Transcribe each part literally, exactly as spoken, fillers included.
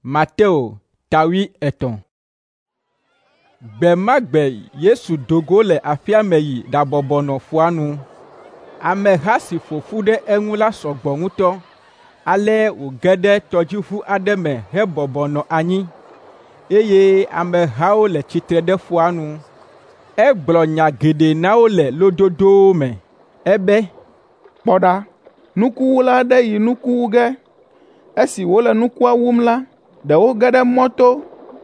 Mateo ta wuietɔ̃. Gbe ma gbe Yesu do go le aƒea me yi ɖabɔbɔ nɔ ƒua nu. Ameha si ƒo ƒu ɖe eŋu la sɔ gbɔ ŋutɔ, ale wòge ɖe tɔdziʋu aɖe me hebɔbɔ nɔ anyi, eye amehawo le tsitre ɖe ƒua nu. Egblɔ nya geɖe na wo le lododowo me. Ebe, “Kpɔ ɖa, nukuwula aɖe yi nuku wu ge. Esi wòle nukua wum la, ɖewo ge ɖe mɔto,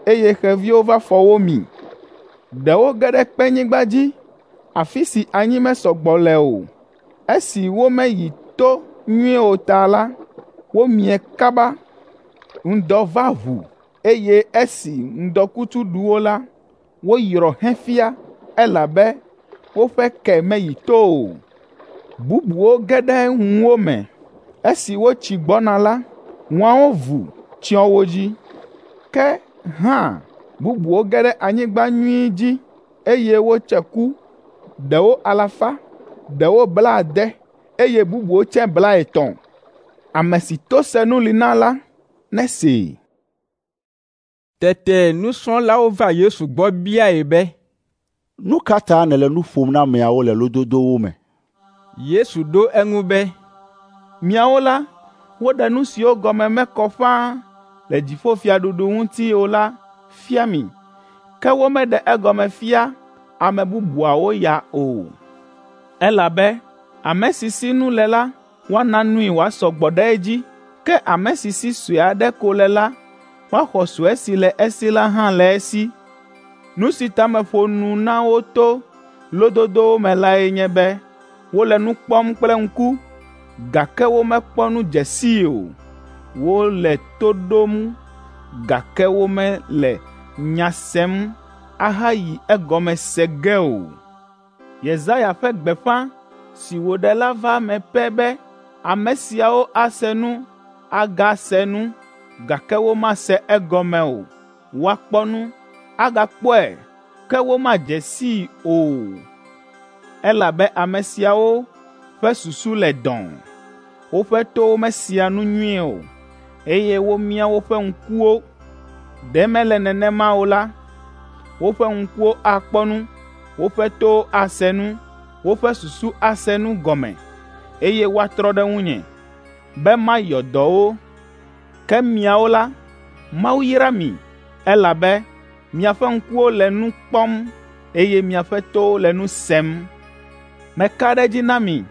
eye xeviwo va fɔ wo mi. Ɖewo ge ɖe kpenyigba dzi, afi si anyi mesɔ gbɔ le o. Esi womeyi to nyuie o ta la, womie kaba. Ŋdɔ va ʋu, eye esi ŋdɔkutsu ɖu wo la, woyrɔ hefia, elabe woƒe ke meyi to o. Bubuwo ge ɖe ŋuwo me. Esi wotsi gbɔna la, ŋuawo vu tsyɔ wo dzi. Ke hã bubuwo ge ɖe anyigba nyui dzi, eye wotse ku, ɖewo alafa, ɖewo blaade, eye bubuwo tse blaetɔ̃. Ame si to senu li na la, nesee.” Tete nusrɔ̃lawo va Yesu gbɔ biae be, “Nu ka ta nèle nu ƒom na ameawo le lododowo me?” Yesu ɖo eŋu be, “Miawo la, woɖe nu siwo gɔme mekɔ ƒãa le dziƒofiaɖuɖu ŋuti o la fia mi, ke womeɖe egɔme fia ame bubuawo ya o. Elabe ame si si nu le la, woana nui wòasɔ gbɔ ɖe edzi, ke ame si si sue aɖe ko le la, woaxɔ sue si le esi la hã le esi. Nu si ta meƒo nu na wo to lododowo me lae nye be wole nu kpɔm kple ŋku, gake womekpɔ nu dze sii o. Wole to ɖom, gake womele nya sem ahayi egɔme se ge o. Yesaya ƒe gbeƒã si wòɖe la va eme pɛ be, ame siawo ase nu, agase nu, gake womase egɔme o. Woakpɔ nu, agakpɔe, ke womadze sii o. Elabe ame siawo ƒe susu le dɔ̃ɔ, woƒe towo mesea nu nyuie o, eye womia woƒe ŋkuwo. Ɖe mele nenema o la, woƒe ŋkuwo akpɔ nu, woƒe towo ase nu, woƒe susu ase nu gɔme, eye woatrɔ ɖe ŋunye, be mayɔ dɔ wo. Ke miawo la, Mawu yra mi, elabe miaƒe ŋkuwo le nu kpɔm, eye miaƒe towo le nu sem. Meka ɖe edzi na mi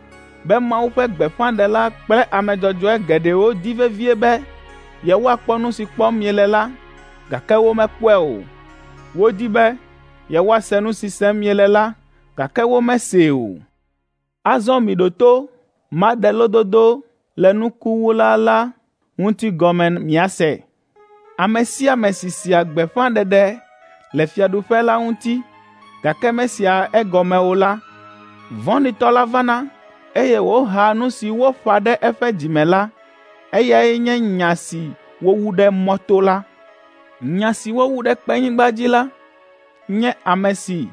be Mawu ƒe gbeƒãɖela kple ame dzɔdzɔe geɖewo di vevie be yewoakpɔ nu si kpɔm miele la, gake womekpɔe o. Wodi be yewoase nu si sem miele la, gake womesee o. Azɔ miɖo to maɖe lododo le nukuwula la ŋuti gɔme miase. Ame sia ame si sea gbeƒãɖeɖe le fiaɖuƒe la ŋuti, gake mesea egɔme o la, vɔ̃ɖitɔ la vana, eye wòhaa nu si woƒã ɖe eƒe dzi me la. Eyae nye nya si wowu ɖe mɔto la. Nya si wowu ɖe kpenyigba dzi la nye ame si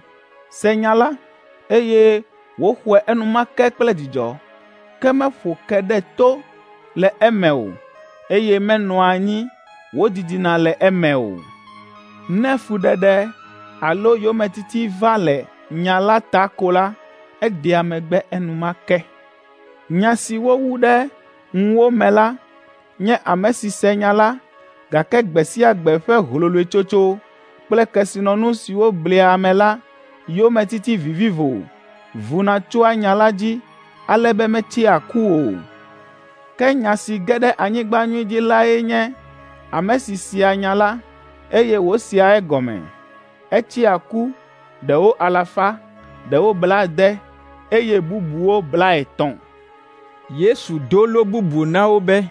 se nya la, eye wòxɔe enumake kple dzidzɔ, ke meƒo ke ɖe to le eme o, eye menɔa anyi wòdidina le eme o. Ne fuɖeɖe alo yometiti va le nya la ta ko la, edea megbe enumake. Nya si wowu ɖe ŋuwo me la nye ame si se nya la, gake gbe sia gbe ƒe hloloetsotso kple kesinɔnu siwo blea ame la yometiti vivivo vuna tsoa nya la dzi ale be metsea ku o. Ke nya si ge ɖe anyigba nyui dzi lae nye ame si sea nya la, eye wòsea egɔme. Etsea ku, ɖewo alafa, ɖewo blaade, eye bubuwo blaetɔ̃. Yesu do lo bubu na wo be,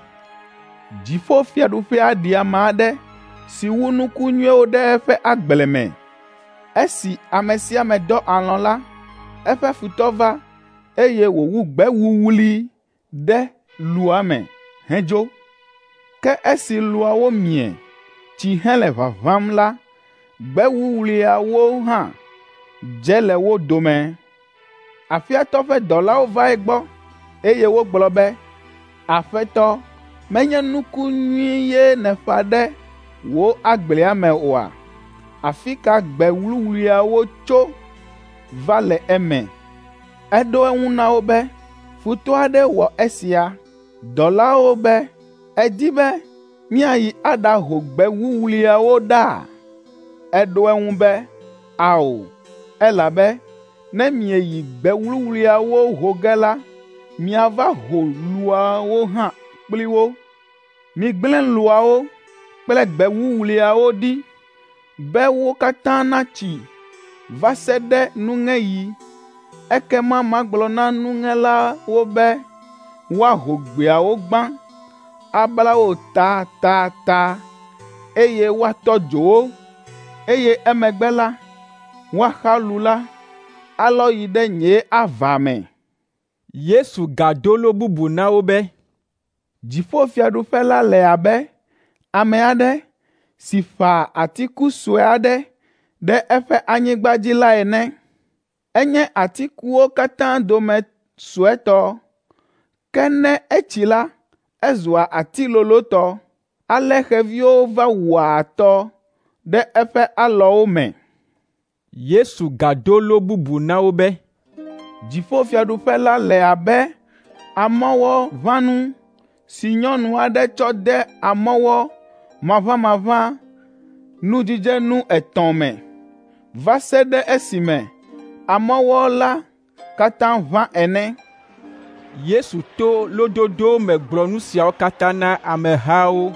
“Dziƒofiaɖuƒea ɖi ame aɖe si wu nuku nyuiwo ɖe eƒe agble me. Esi ame sia ame dɔ alɔ̃ la, eƒe futɔ va, eye wòwu gbe wuwlui ɖe lua me hedzo. Ke esi luawo mie, tsi hele ʋaʋãm la, gbe wuwluiawo hã dze le wo dome. Aƒeatɔ ƒe dɔlawo va egbɔ, eye wogblɔ be, ‘Aƒetɔ, menye nuku nyui ye nèƒã ɖe wò agblea me oa? Afi ka gbe wuwluiawo tso va le eme?” Eɖo eŋu na wo be, “Futɔ aɖe wɔ esia.” Dɔlawo be, “Èdi be míayi aɖaho gbe wuwluiawo ɖa?” Eɖo eŋu be, “Ao, elabe ne mieyi gbe wuwluiawo ho ge la, miava ho luawo hã kpli wo. Migblẽ luawo kple gbe wuwluiawo ɖi be wo katã natsi va se ɖe nuŋeɣi. Ekema magblɔ na nuŋelawo be woaho gbeawo gbã, abla wo tatata, eye woatɔ dzo wo, eye emegbe la, woaxa lu la, alɔ yi ɖe nye ava me.” Yesu gado lo bubu na wo be, “Dziƒofiaɖuƒe la le abe ame aɖe si ƒã atiku sue aɖe ɖe eƒe anyigba dzi la ene. Enye atikuwo katã dome suetɔ, ke ne etsi la, ezua ati lolotɔ, ale xeviwo va wɔa atɔ ɖe eƒe alɔwo me.” Yesu gado lo bubu na wo be, “Dziƒofiaɖuƒe la le abe amɔwɔʋãnu si nyɔnu aɖe tsɔ de amɔwɔ maʋamaʋã nudzidzenu etɔ̃ me, va se ɖe esime amɔwɔ la katã ʋã ene.” Yesu to lododo me gblɔ nu siawo katã na amehawo,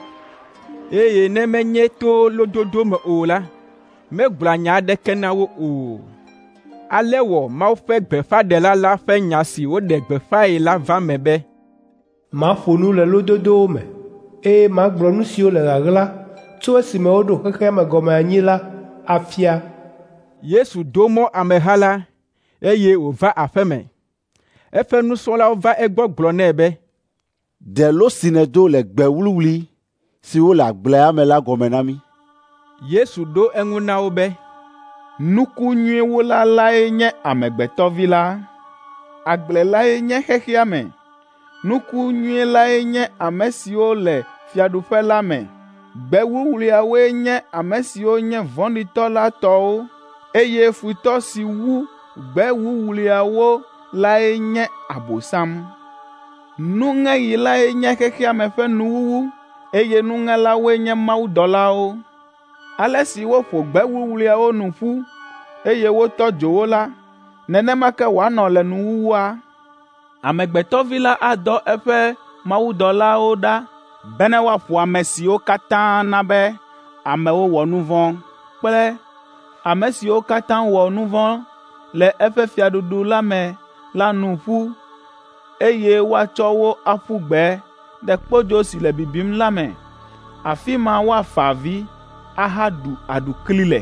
eye ne menye to lododo me o la, megblɔa nya aɖeke na wo o. Ale wɔ Mawu ƒe gbeƒãɖela la ƒe nya si woɖe gbeƒãe la va eme be, “Maƒo nu le lododowo me, eye magblɔ nu siwo le ɣaɣla tso esime woɖo xexea me gɔme anyi la afia.” Yesu do mɔ ameha la, eye wòva aƒe me. Eƒe nusrɔ̃lawo va egbɔ gblɔ nɛ be, “Ɖe lo si nèdo le gbe wuwlui siwo le agblea me la gɔme na mí.” Yesu ɖo eŋu na wo be, “Nuku nyui wula lae nye Amegbetɔ Vi la. Agble lae nye xexea me. Nuku nyui lae nye ame siwo le fiaɖuƒe la me. Gbe wuwluiawoe nye ame siwo nye vɔ̃ɖitɔ la tɔwo, eye futɔ si wu gbe wuwluiawo lae nye Abosam. Nuŋeɣi lae nye xexea me ƒe nuwuwu, eye nuŋelawoe nye mawudɔlawo. Ale si woƒo gbe wuwluiawo nu ƒu, eye wotɔ dzo wo la, nenema ke wòanɔ le nuwuwua. Amegbetɔ Vi la adɔ eƒe mawudɔlawo ɖa bene woaƒo ame siwo katã na be amewo wɔ nu vɔ̃ kple ame siwo katã wɔ nu vɔ̃ le eƒe fiaɖuɖu la me la nu ƒu, eye woatsɔ wo aƒu gbe ɖe kpodzo si le bibim la me. Afi ma woafa avi ahaɖu aɖukli le.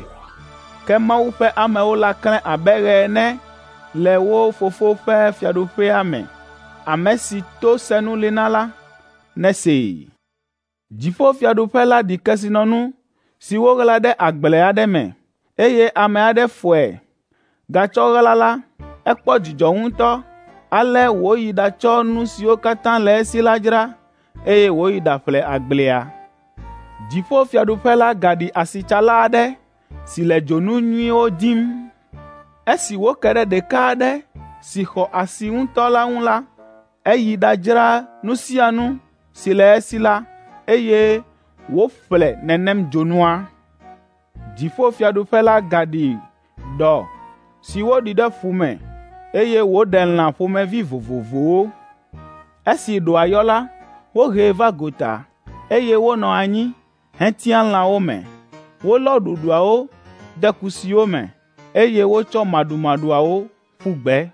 Ke Mawu ƒe amewo la klẽ abe ɣe ene le wo Fofo ƒe fiaɖuƒea me. Ame si to senu li na la, nesee. Dziƒofiaɖuƒe la ɖi kesinɔnu si woɣla ɖe agble aɖe me, eye ame aɖe fɔe gatsɔ ɣla la, ekpɔ dzidzɔ ŋutɔ. Ale wòyi ɖatsɔ nu siwo katã le esi la dzra, eye wòyi ɖaƒle agblea. Dziƒofiaɖuƒe la gaɖi asitsala aɖe si le dzonu nyuiwo dim. Esi wòke ɖe ɖeka aɖe si xɔ asi ŋutɔ la ŋu la, eyi ɖadzra nu sia nu si le esi la, eye wòƒle nenem dzonua. Dziƒofiaɖuƒe la gaɖi ɖɔ si woɖi ɖe ƒu me, eye wòɖe lã ƒomevi vovovowo. Esi ɖɔa yɔ la, wohee va gota, eye wonɔ anyi hetia lãwo me. Wolɔ ɖuɖuawo de kusiwo me, eye wotsɔ maɖumaɖuawo ƒu gbe.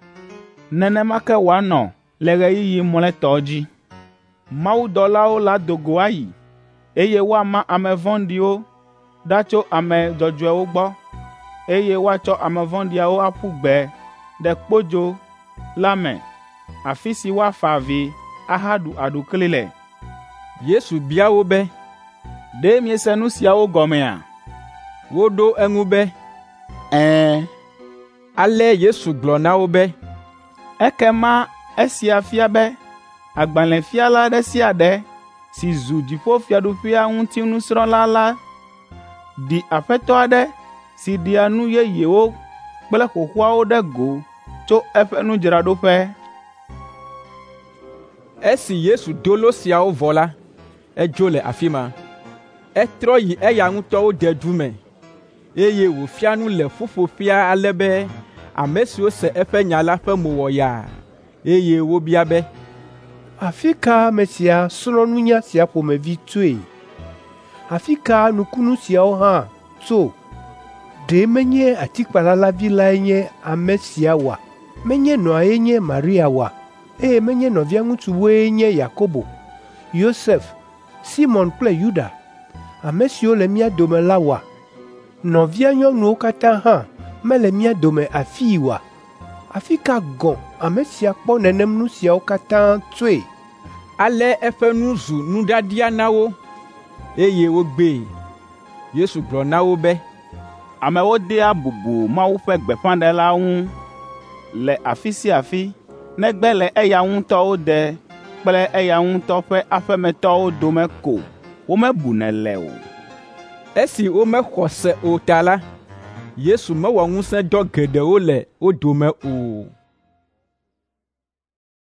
Nenema ke wòanɔ le ɣeyiɣi mlɔetɔ dzi. Mawudɔlawo la do go ayi, eye woama ame vɔ̃ɖiwo ɖa tso ame dzɔdzɔewo gbɔ, eye woatsɔ ame vɔ̃ɖiawo aƒu gbe ɖe kpodzo la me, afi si woafa avi ahaɖu aɖukli le. Yesu bia wo be, “Ɖe miese nu siawo gɔmea?” Woɖo eŋu be, “Ɛ̃.” Ale Yesu gblɔ na wo be, “Ekema esia fia be agbalẽfiala ɖe sia ɖe si zu dziƒofiaɖuƒea ŋuti nusrɔ̃la la Ɖi aƒetɔ aɖe si ɖea nu yeyewo kple xoxoawo ɖe go tso eƒe nudzraɖoƒe. Esi Yesu do lo siawo vɔ la, edzo le afi ma. Etrɔ yi eya ŋutɔ wo dedu me, eye wòfia nu le ƒuƒoƒea ale be ame siwo se eƒe nya la ƒe mo wɔ yaa, eye wobia be, “Afi ka ame sia srɔ̃ nunya sia ƒomevi tsoe? Afi ka nukunu siawo hã tso? Ɖe menye atikpala la vi lae nye ame sia oa? Menye nɔae nye Maria oa? Eye menye nɔvia ŋutsuwoe nye Yakobo, Yosef, Simɔn kple Yuda, ame siwo le mía dome la oa? Nɔvia nyɔnuwo katã hã mele mía dome afii oa? Afi ka gɔ̃ ame sia kpɔ nenem nu siawo katã tsoe?” Ale eƒe nu zu nuɖiaɖia na wo, eye wogbee. Yesu gblɔ na wo be, “Amewo dea bubu Mawu ƒe gbeƒãɖela ŋu le afi sia afi negbe le eya ŋutɔ wo de kple eya ŋutɔ ƒe aƒemetɔwo dome ko womebunɛ le o.” Esi womexɔ se o ta la, Yesu mewɔ ŋusẽdɔ geɖewo le wo dome o.